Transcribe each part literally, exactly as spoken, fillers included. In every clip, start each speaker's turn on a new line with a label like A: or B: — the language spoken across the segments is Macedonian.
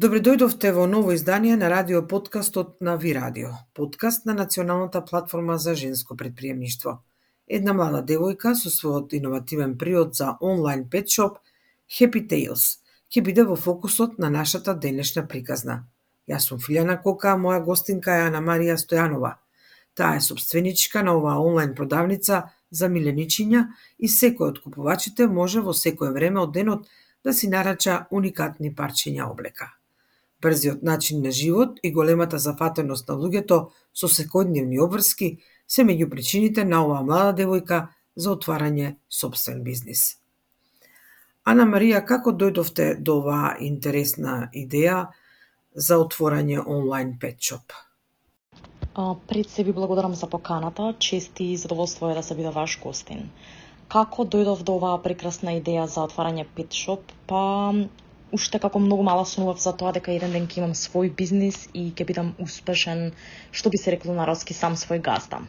A: Добре дојдовте во ново издание на радио подкастот на Ви Радио, подкаст на Националната платформа за женско предприемништво. Една млада девојка со својот иновативен приод за онлайн петшоп Happy Tales ќе биде во фокусот на нашата денешна приказна. Јас сум Филјана Кока, моја гостинка е Ана Марија Стојанова. Таа е собственичка на оваа онлайн продавница за миленичиња и секој од купувачите може во секое време од денот да си нарача уникатни парчиња облека. Брзиот начин на живот и големата зафатеност на луѓето со секојдневни обврски се меѓу причините на оваа млада девојка за отварање сопствен бизнис. Ана Марија, како дојдовте до оваа интересна идеја за отворање онлайн петшоп?
B: Пред се ви благодарам за поканата, чест и задоволство е да се биде ваш гостин. Како дојдов до оваа прекрасна идеја за отварање петшоп? Па уште како многу мала сонував за тоа дека еден ден ќе имам свој бизнис и ќе бидам успешен, што би се рекло народски, сам свој газда.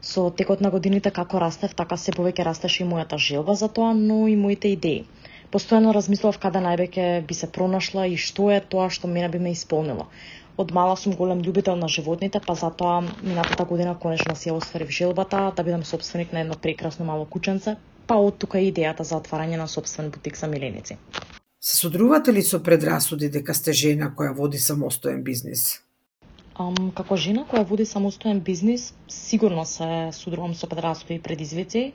B: Со текот на годините како растев, така се повеќе растеше и мојата желба за тоа, но и моите идеи. Постојано размислував каде највеќе би се пронашла и што е тоа што мене би ме исполнило. Од мала сум голем љубител на животните, па затоа минатата година конечно си ја остварив желбата да бидам собственик на едно прекрасно мало кученце, па од тука и идејата за отварање на собствен бутик за миленици.
A: Се содрувате ли со предрасуди дека сте жена која води самостоен бизнис?
B: Um, како жена која води самостоен бизнис, сигурно се содрувам со предрасуди и предизвици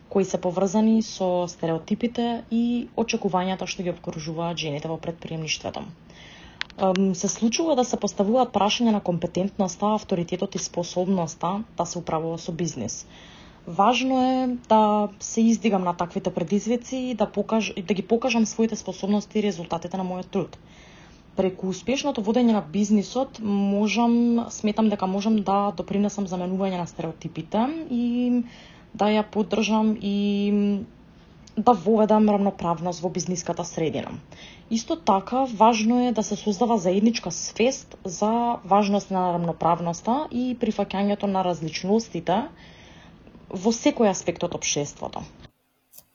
B: кои се поврзани со стереотипите и очекувањата што ги обкружуваат жените во предприемништвото. Um, се случува да се поставуваат прашања на компетентноста, авторитетот и способноста да се управува со бизнис. Важно е да се издигам на таквите предизвици и да, покаж, да ги покажам своите способности и резултатите на мојот труд. Преку успешното водење на бизнисот можам, сметам дека можам да допринесам за менување на стереотипите и да ја поддржам и да воведам равноправност во бизниската средина. Исто така, важно е да се создава заедничка свест за важност на равноправноста и прифаќањето на различностите во секој аспект од општеството.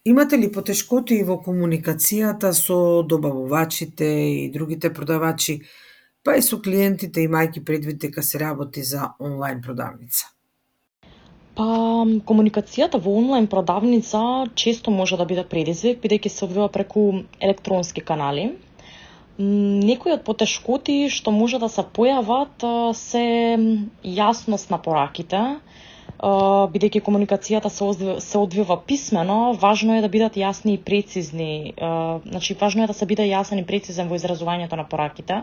A: Имате ли потешкоти во комуникацијата со добавувачите и другите продавачи, па и со клиентите, имајќи предвид дека се работи за онлайн продавница?
B: Па, комуникацијата во онлайн продавница често може да биде предизвик, бидејќи се одвива преку електронски канали. Некои од потешкоти што може да се појават се јасност на пораките, бидејќи комуникацијата се, се одвива писмено, важно е да бидат јасни и прецизни. Значи, важно е да се биде јасен и прецизен во изразувањето на пораките.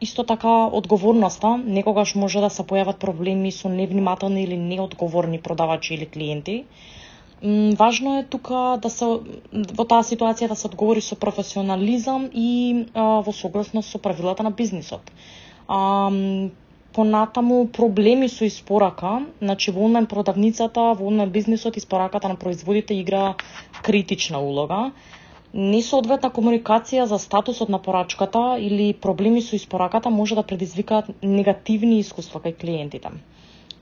B: Исто така, одговорноста. Некогаш може да се појават проблеми со невнимателни или неодговорни продавачи или клиенти. Важно е тука да се во таа ситуација да се одговори со професионализам и во согласност со правилата на бизнисот. Понатаму проблеми со испорака, значи во онлайн продавницата, во онлайн бизнисот испораката на производите игра критична улога. Несоодветна комуникација за статусот на порачката или проблеми со испораката може да предизвикаат негативни искуства кај клиентите.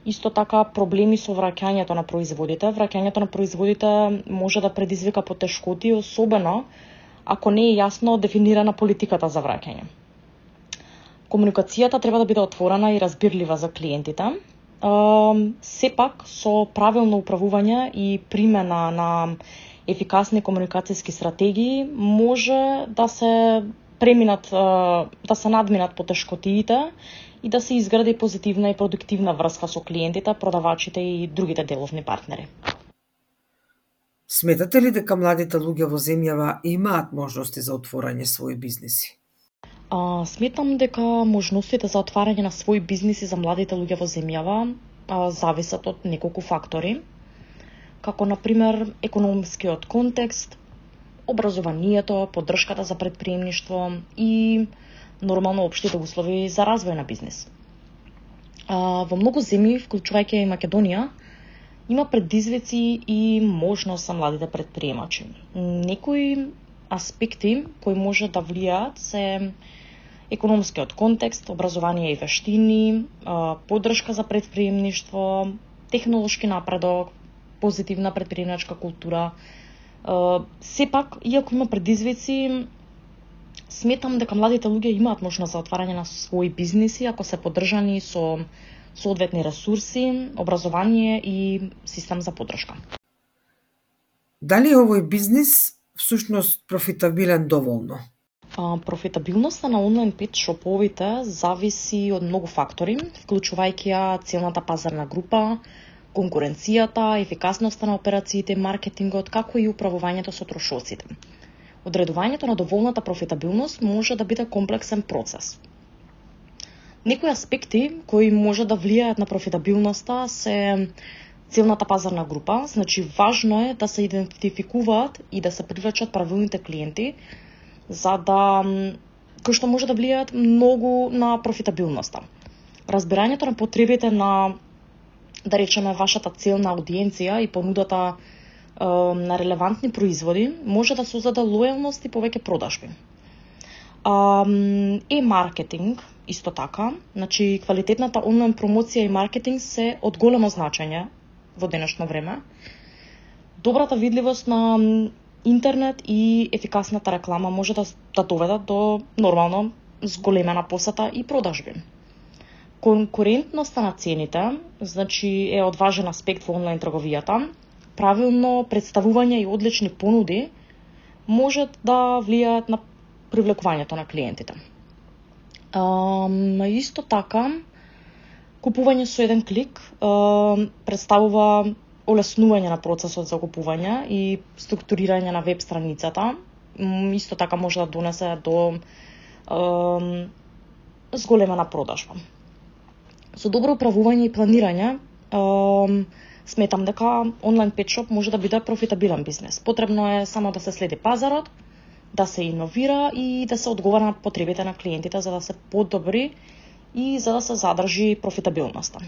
B: Исто така проблеми со враќањето на производите. Враќањето на производите може да предизвика потешкоти, особено ако не е јасно дефинирана политиката за враќање. Комуникацијата треба да биде отворена и разбирлива за клиентите. Сепак, со правилно управување и примена на ефикасни комуникацијски стратегии може да се преминат, да се надминат потешкотиите и да се изгради позитивна и продуктивна врска со клиентите, продавачите и другите деловни партнери.
A: Сметате ли дека младите луѓе во земјава имаат можности за отворање своји бизниси?
B: А, сметам дека можностите за отварање на своји бизниси за младите луѓе во земјава а, зависат од неколку фактори, како например економскиот контекст, образованието, поддршката за предприемништво и нормално општите услови за развој на бизнис. А, во многу земји, вклучувајќи и Македонија, има предизвици и можност за младите предприемачи. Некои аспекти кои може да влијаат се економскиот контекст, образование и вештини, поддршка за предприемништво, технолошки напредок, позитивна предприемачка култура. Сепак, иако има предизвици, Сметам дека младите луѓе имаат можност за отварање на своји бизниси ако се поддржани со соодветни ресурси, образование и систем за поддршка.
A: Дали овој бизнис всушност профитабилен доволно?
B: А, профитабилноста на онлайн пет шоповите зависи од многу фактори, вклучувајќи ја целната пазарна група, конкуренцијата, ефикасноста на операциите, маркетингот, како и управувањето со трошоците. Одредувањето на доволната профитабилност може да биде комплексен процес. Некои аспекти кои може да влијаат на профитабилноста се целната пазарна група, значи важно е да се идентификуваат и да се привлечат правилните клиенти, за да кои што може да влијаат многу на профитабилноста. Разбирањето на потребите на, да речеме, вашата целна аудиенција и понудата е, на релевантни производи може да создаде лојалност и повеќе продажби. Е маркетинг исто така, значи квалитетната онлайн промоција и маркетинг се од големо значење во денешно време. Добрата видливост на интернет и ефикасната реклама може да, да доведат до нормално зголемена посета и продажби. Конкурентноста на цените, значи е од важен аспект во онлайн трговијата. Правилно представување и одлични понуди можат да влијаат на привлекувањето на клиентите. А, исто така, купување со еден клик а, представува олеснување на процесот за купување и структурирање на веб страницата. Исто така може да донесе до е, зголемена продажба. Со добро управување и планирање, е, сметам дека онлайн петшоп може да биде профитабилен бизнес. Потребно е само да се следи пазарот, да се иновира и да се одговара на потребите на клиентите за да се подобри и за да се задржи профитабилноста.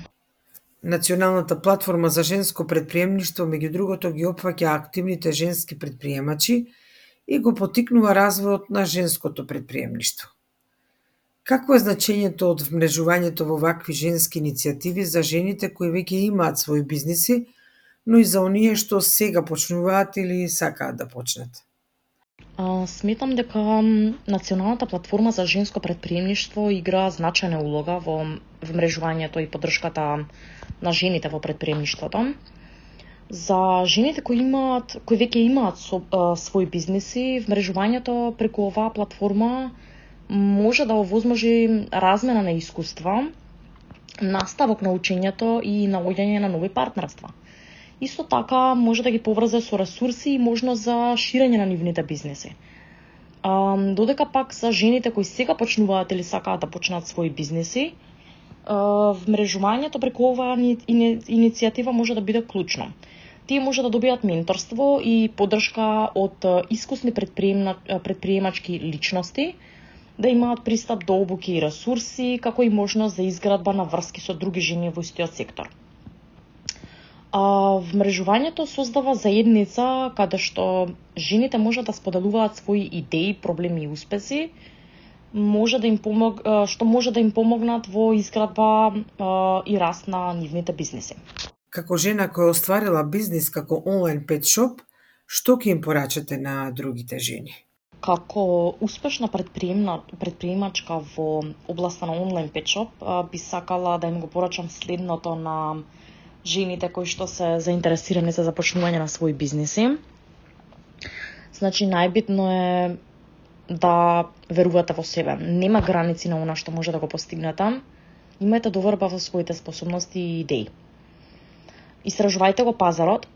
A: Националната платформа за женско предприемништво, меѓу другото, ги опфаќа активните женски предприемачи и го поттикнува развојот на женското предприемништво. Какво е значењето од вмрежувањето во вакви женски иницијативи за жените кои веќе имаат своји бизниси, но и за оние што сега почнуваат или сакаат да почнат?
B: А, сметам дека Националната платформа за женско предприемништво игра значајна улога во вмрежувањето и поддршката на жените во предприемништвото. За жените кои имаат, кои веќе имаат со, а, своји бизниси, вмрежувањето преку оваа платформа може да овозможи размена на искуства, наставок на учењето и наоѓање на нови партнерства. Исто така може да ги поврзе со ресурси и можност за ширење на нивните бизнеси. А, додека пак за жените кои сега почнуваат или сакаат да почнат своји бизнеси, вмрежувањето преку оваа иницијатива може да биде клучно. Тие може да добијат менторство и поддршка од искусни предприемачки личности, да имаат пристап до обуки и ресурси, како и можност за изградба на врски со други жени во истиот сектор. А, вмрежувањето создава заедница каде што жените можат да споделуваат своји идеи, проблеми и успеси, може да им помог, што може да им помогнат во изградба а, и раст на нивните бизнеси.
A: Како жена која остварила бизнис како онлайн петшоп, што ќе им порачате на другите жени?
B: Како успешна предприемачка во областа на онлайн петшоп, би сакала да им го порачам следното на жените кои што се заинтересирани за започнување на своји бизниси. Значи, најбитно е да верувате во себе. Нема граници на она што може да го постигнете. Имајте доверба во своите способности и идеи. Истражувајте го пазарот.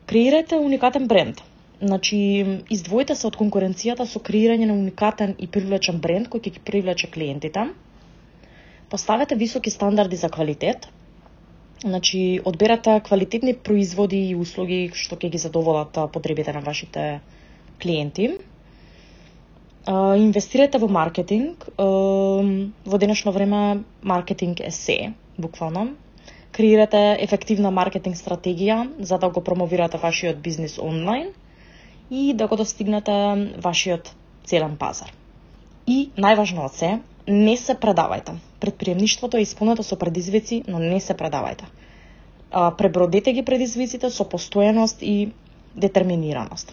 B: Креирајте уникатен бренд. Значи, издвоите се од конкуренцијата со креирање на уникатен и привлечен бренд кој ќе ги привлече клиентите. Поставете високи стандарди за квалитет. Значи, одберете квалитетни производи и услуги што ќе ги задоволат потребите на вашите клиенти. Uh, инвестирате во маркетинг. Uh, во денешно време маркетинг е се, буквално. Креирате ефективна маркетинг стратегија за да го промовирате вашиот бизнис онлайн и да го достигнете вашиот целен пазар. И најважно од се, не се предавајте. Предприемништвото е исполнето со предизвици, но не се предавајте. Uh, пребродете ги предизвиците со постојаност и детерминираност.